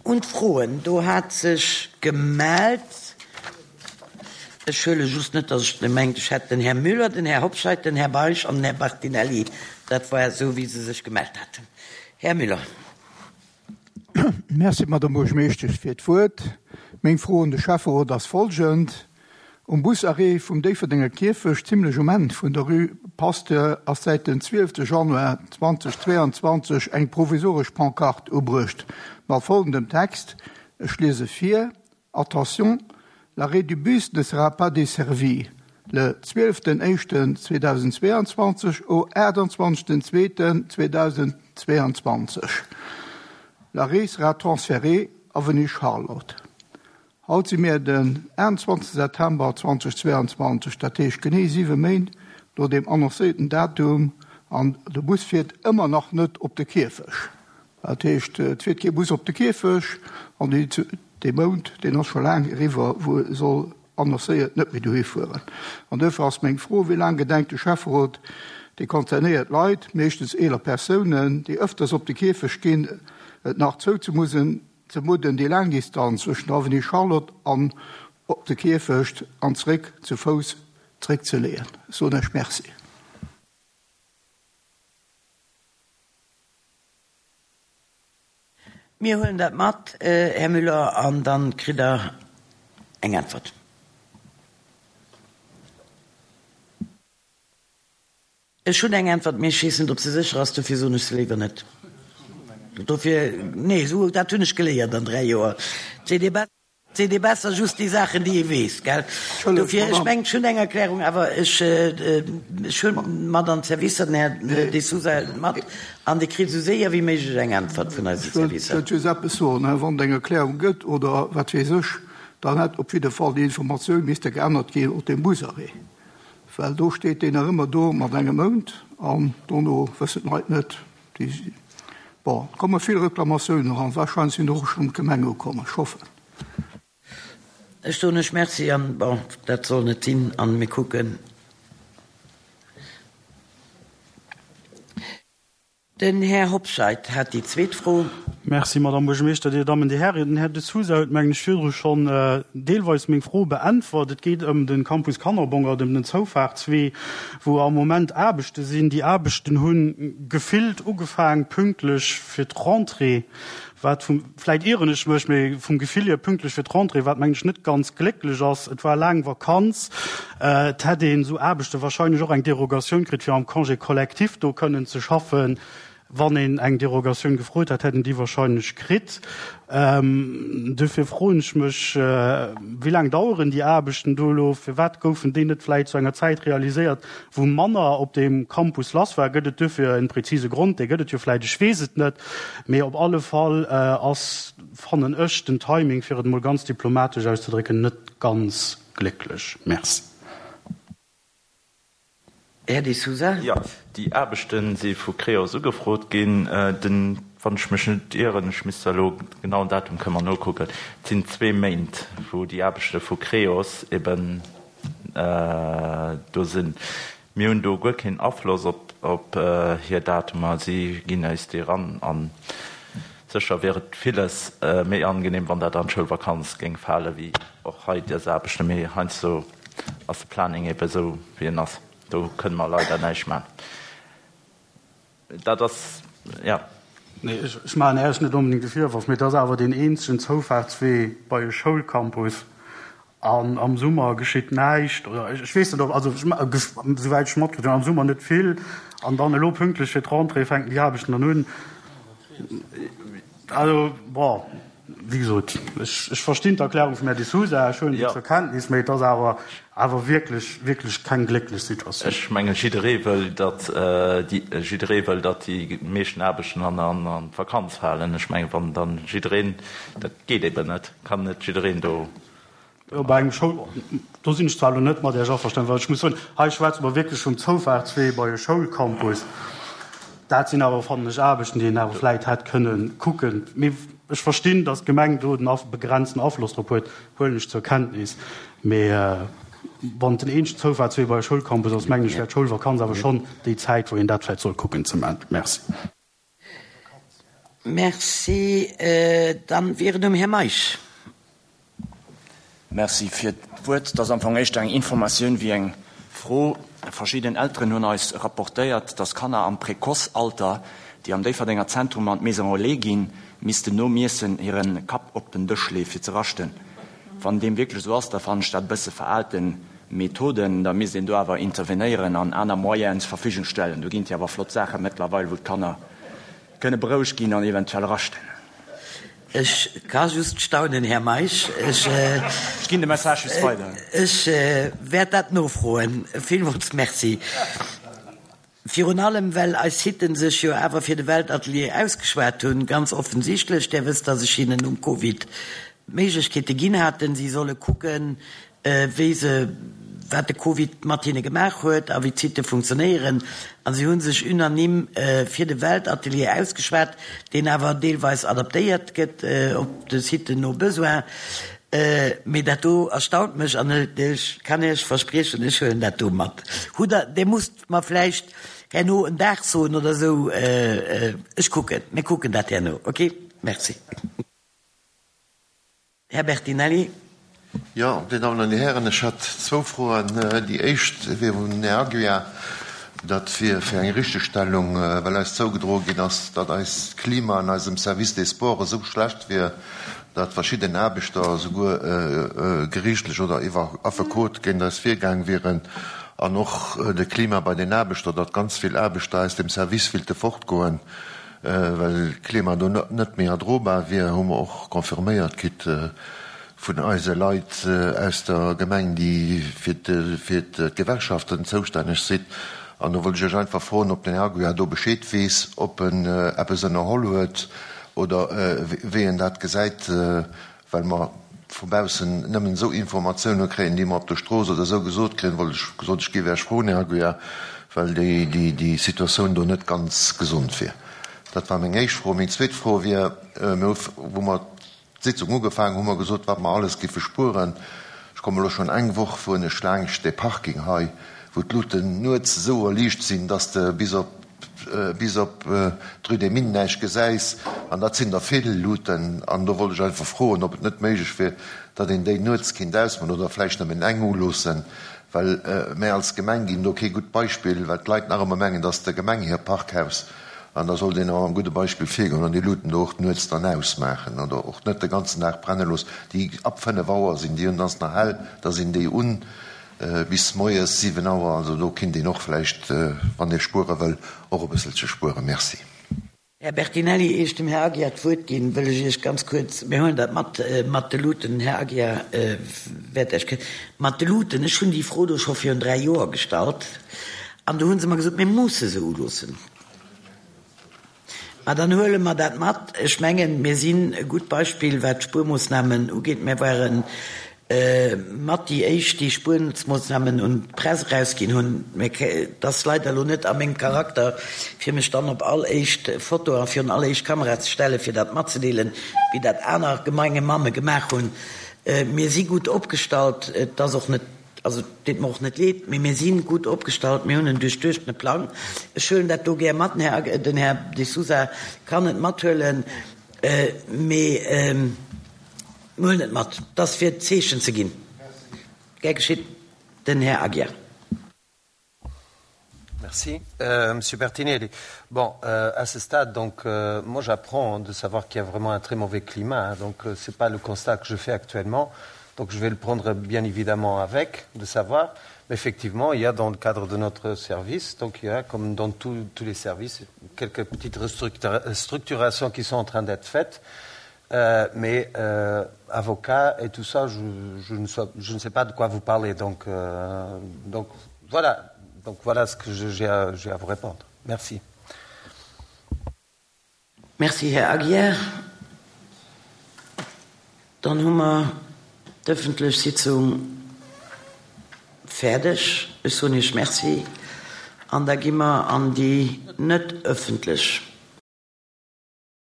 Un d'Froen. Do hat sech gemellt, ech huele just net, datt ech mengt, ech hätt den Här Müller, den Här Hobscheit, den Här Baisch an den Här Bartinelli. Dat war esou, wéi se sech gemellt haten. Här Müller. Merci, Madame Buergermeeschtesch, fir d'Wuert. Meng Fro un de Schäfferot ass folgend, Um Busarrêt vum Déifferdenger Kierfecht, zimlech um Enn vun der Rue Pasteur, ass säit dem 12 Januar 2022 eng provisoresch Pancarte ubruecht mat folgendem Text, ech liese vir, Attention, l'arrêt du bus ne sera pas desservi le 12.01.2022 au 28.02.2022. L'arrêt sera transféré avenue Charlotte. Haut si mir den 21 September 2022, dat heescht genee 7 Méint no deem annoncéierten Datum, an de Bus fiert ëmmer nach net op de Kierfech. Dat heescht, et fiert kee Bus op de Kierfech an dee Mount, deen ass scho laang eriwwer, wou e soll annoncéiert net méi dohi fueren. An duerfir ass meng Fro, Wéi laang gedenkt de Schäfferot, déi concernéiert Leit, meeschtens eeler Persounen, déi ëfters op de Kierfecht ginn, et nach zouzemusen, ze mudden, déi laang Distanz zwëschen der Avenue Charlotte an op de Kierfecht an zréck zu Fouss zréckzeleeën? Ech soen Iech Merci. Mir huelen dat mat, Här Müller, an dann kritt Der eng Äntwert. Ech hunn eng Äntwert, mee ech weess net, ob se sécher ass, dofir soen ech se léiwer net. Dofir, nee, esou, dat hunn ech geléiert an 3 Joer, et seet ee besser, et seet ee besser just déi Saachen, déi ee weess, gell? Dofir, ech mengen, ech hunn eng Erklärung, awer ech, ech hunn mat an d'Servicer, den Här De Sousa hëlt et mat an Dir kritt esou séier wéi méiglech eng Äntwert vun eise Servicer. Ech wëllt just eppes soen, Wann et eng Erklärung gëtt oder wat weess ech, dann hätt op jidde Fall déi Informatioun misste geännert ginn op deem Busarrêt. Well do steet deen nach ëmmer do mat engem Mount an dono wëssen d'Leit net. Déi, bon, et komme vill Reklamatiounen eran, warscheinlech sinn der och schonn d'Gemeng ukomm, ech hoffen. Ech soen lech Merci an, bon, dat soll net sinn an mir kucken. Den Här Hobscheit hat déi zweet Fro. Merci, Madamm Buergermeeschter, Dir Dammen, Dir Hären. Den Här De Sousa huet, mengen ech, virdru schonn deelweis meng Fro beäntwert. Et geet ëm de Campus Kannerbongert, ëm den Zoufaartswee, wou am Moment Aarbechte sinn. Déi Aarbechten hu gefillt ugefaang pünktlech fir d'Rentrée. Wat vum, vläit ieren ech mech, mee vum Gefill hier pünktlech fir d'Rentrée, wat mengen ech net ganz glécklech ass. Et war laang Vakanz, et hätt een esou Aarbechte wahrscheinlech och eng Derogatioun kritt, fir am Congé collectif do kënnen ze schaffen. Wann een eng Derogatioun gefrot hätt, hätt een déi wahrscheinlech kritt. Duerfir froen ech mech, Wéi laang daueren déi Aarbechten do elo? Firwat goufen déi net vläit zu enger Zäit realiséiert, wou manner op deem Campus lass war? Gëtt et duerfir e prezise Grond? Dee gëtt et jo vläit, ech weess et net. Mee op alle Fall ass, fannen ech, den Timing, fir et emol ganz diplomatesch auszedrécken, net ganz glécklech. Merci. Här De Sousa. Jo, déi Aarbechte si vu Creos ugefrot ginn. Den, wann ech mech net ieren, ech misst elo genauen Datum kënne mer nokucken, et sinn zwee Méint, wou déi Aarbechte vu Creos eben do sinn. Mir hunn do guer keen Afloss op hir Datumer. Si ginn eis déi eran. A sécher wier et villes méi angenehm, wann dat an d'Schoulvakanz géing fale wéi och hei dës Aarbechten. Mee heiansdo ass de Planning ebe sou wéi en ass. Do kënne mer leider näischt maachen. Dat ass, jo. Nee, ech maachen Äech net onbedéngt de Virworf, mee et ass awer deen eenzegen Zoufaartswee bei e Schoulcampus an am Summer geschitt näischt oder ech weess net ob, also souwäit ech matkritt hunn, am Summer net vill an dann elo pünktlech fir d'Rentrée fänken déi Aarbechten dann un. Also, bon, wéi gesot, ech verstinn d'Erklärung vum Här De Sousa, ech huelen déi zur Kenntnis, mä et ass awer, awer wierklech, wierklech keng glécklech Situatioun. Ech mengen, jidderee wëll, datt déi, jidderee wëll, datt déi meeschten Aarbechten an, an, an d'Vakanz falen. Ech mengen, wann dann jiddereen, dat geet eben net, kann net jiddereen do Jo, bei engem Schoul, do sinn ech zwar elo net mat Iech averstanen, well ech muss soen, hei schwätze mer wierklech vum Zoufaartswee bei e Schoulcampus. Dat sinn awer, fannen ech, Aarbechten, déi een awer vläit hätt kënne kucken. Mee ech verstinn, datt d'Gemeng do den begrenzten Afloss drop huet, huelen ech zur Kenntnis. Mee wann et den eenzegen Zoufaartswee bei e Schoulcampus ass, mengen ech, wär d'Schoulvakanz awer schonn déi Zäit, wou een dat vläit sollt kucken ze maachen. Merci. Merci. Dann wier et um Här Meisch. Merci fir d'Wuert. Et ass am Fong éischter eng Informatioun wéi eng Fro. Verschidden Elteren hunn eis rapportéiert, dass Kanner am Précoce-Alter, déi am Déifferdenger Zentrum an d'Maison Relais ginn, missten nom Iessen hire Kapp op den Dësch lee fir ze raschten. Wann deem wierklech esou ass, da fannen ech dat e bësse veraalten Methoden. Da misst een do awer intervenéieren an aner Moyenen zur Verfügung stellen. Do ginn et jo awer flott Saache mëttlerweil, wou d'Kanner kënne berouegt ginn an eventuell raschten. Ech ka just staunen, Här Meisch. Ech. Ech ginn de Message just weider. Ech wäert dat nofroen. Villmools Merci. Virun allem, well eis Sitten sech jo awer fir de Weltatelier ausgeschwat hunn, ganz offensichtlech. Där wësst, dass ech hinnen nom Covid d'Méiglechkeete ginn haten, si solle kucken, wéi se, wat de Covid mat hinne gemaach huet a wéi d'Sitte funktionéieren. A si hu sech unanime fir de Weltatelier ausgeschwat, deen awer deelweis adaptéiert gëtt op de Sitten no Besoin. Mee dat do erstaunt mech an ech kann Iech verspriechen, ech huelen dat do mat. Hutt Der, Dir musst mer vläicht herno en Dag soen oder esou. Ech kucken, mir kucken dat herno. Okay? Merci. Här Bertinelli. Jo, Dir Dammen an Dir Hären, ech hätt zwou Froen. Déi éischt wier un den Här Aguiar. Dat wier fir eng Richtegstellung, well eis zougedroe ginn ass, datt eist Klima an eisem Service des Sports esou schlecht wier, datt verschidden Aarbechter souguer geriichtlech oder iwwer Affekot géint eis virgaang wieren. An och de Klima bei den Aarbechter, datt ganz vill Aarbechter aus dem Service willte fortgoen. Well d'Klima do net méi erdrobar wier, hu mer och confirméiert kritt vun eise Leit aus der Gemeng, déi fir d'Gewerkschaften zoustänneg sinn. An do wollt ech Iech einfach froen, ob den Här Aguiar do Bescheed weess, ob en eppes ënnerholl huet oder wéi en dat gesäit. Well mer vu baussen nëmmen esou Informatioune kréien, déi mer op der Strooss oder esou gesot kréien, wollt ech gesot, ech géif Iech froen, Här Aguiar, well déi Situatioun do net ganz gesond wier. Dat war meng éischt Fro. Meng zweet Fro wier, Mir hu, wou mer d'Sitzung ugefaangen hu mer gesot, wat mer alles géife spueren. Ech komme elo schonn eng Woch, fueren ech laangscht dee Parking hei, wou d'Luten nuets esou erliicht sinn, dass de bis op bis op d'Rue des Mines näischt gesäis, an dat sinn der vill Luuten, an do wollt ech einfach froen, ob et net méiglech wier, datt een déi nuets kinnt ausmaachen oder vläicht nëmmen eng uloossen, well mär als Gemeng ginn do kee gutt Beispill, well d'Leit nach ëmmer mengen, dat ass der Gemeng hir Parkhaus, an da sollt een och mam gudde Beispill virgoen an déi Luuten do och nuets dann ausmaachen oder och net de ganzen Dag brenne loossen. Déi ab 5 Auer sinn déi un, dann ass nach hell, da sinn déi un. Bis moies 7 Auer, also do kinnt een och vläicht, wann ee spuere wëll, och e bësselche spueren. Merci. Här Bertinelli, ier ech dem Här Aguiar d'Wuert ginn, wëll ech Iech ganz kuerz, mir huelen dat mat, mat de Luuten, den Här Aguiar wäert Iech kë, mat de Luuten, ech hunn déi Fro do scho virun dräi Joer gestallt an do hu se mer gesot, mir musse se uloossen. Ma dann huele mer dat mat. Ech mengen, mir sinn e gutt Beispill, wat d'Spuermoossnamen ugeet. Mir ware mat déi éischt, déi Spuermoossnamen un d'Press erausginn hunn. Mä et ass leider elo net a mengem Charakter, fir mech dann op all éischt Foto a virun all éischt Kamera ze stellen, fir dat matzedeelen, wéi dat aner Gemengemamme gemaach hunn. Mir si gutt opgestallt. Et ass och net Also, et deet mer och net leed, mee mir si gutt opgestallt, mir hunn en duerchduechtene Plang. Ech huelen dat do gär mat, den Här, den Här De Sousa kann et mathuelen, mee mir huelen et mat. Et ass fir d'Zeechen ze ginn. Gär geschitt. Den Här Aguiar. Merci. Euh, Monsieur Bertinelli, bon, euh, à ce stade, donc, euh, moi j'apprends de savoir qu'il y a vraiment un très mauvais climat, hein, donc euh, c'est pas le constat que je fais actuellement, donc je vais le prendre bien évidemment avec, de savoir, mais effectivement, il y a dans le cadre de notre service, donc il y a, comme dans tout, tous les services, quelques petites restructurations qui sont en train d'être faites, euh, mais euh, avocat et tout ça, je, je, ne, so, je ne sais pas de quoi vous parlez, donc, euh, donc voilà, donc voilà ce que j'ai à, à vous répondre. Merci. Merci, Här Aguiar. Dann hu mer d'ëffentlech Sitzung fäerdeg. Ech soen Iech Merci an da gi mer an déi net ëffentlech.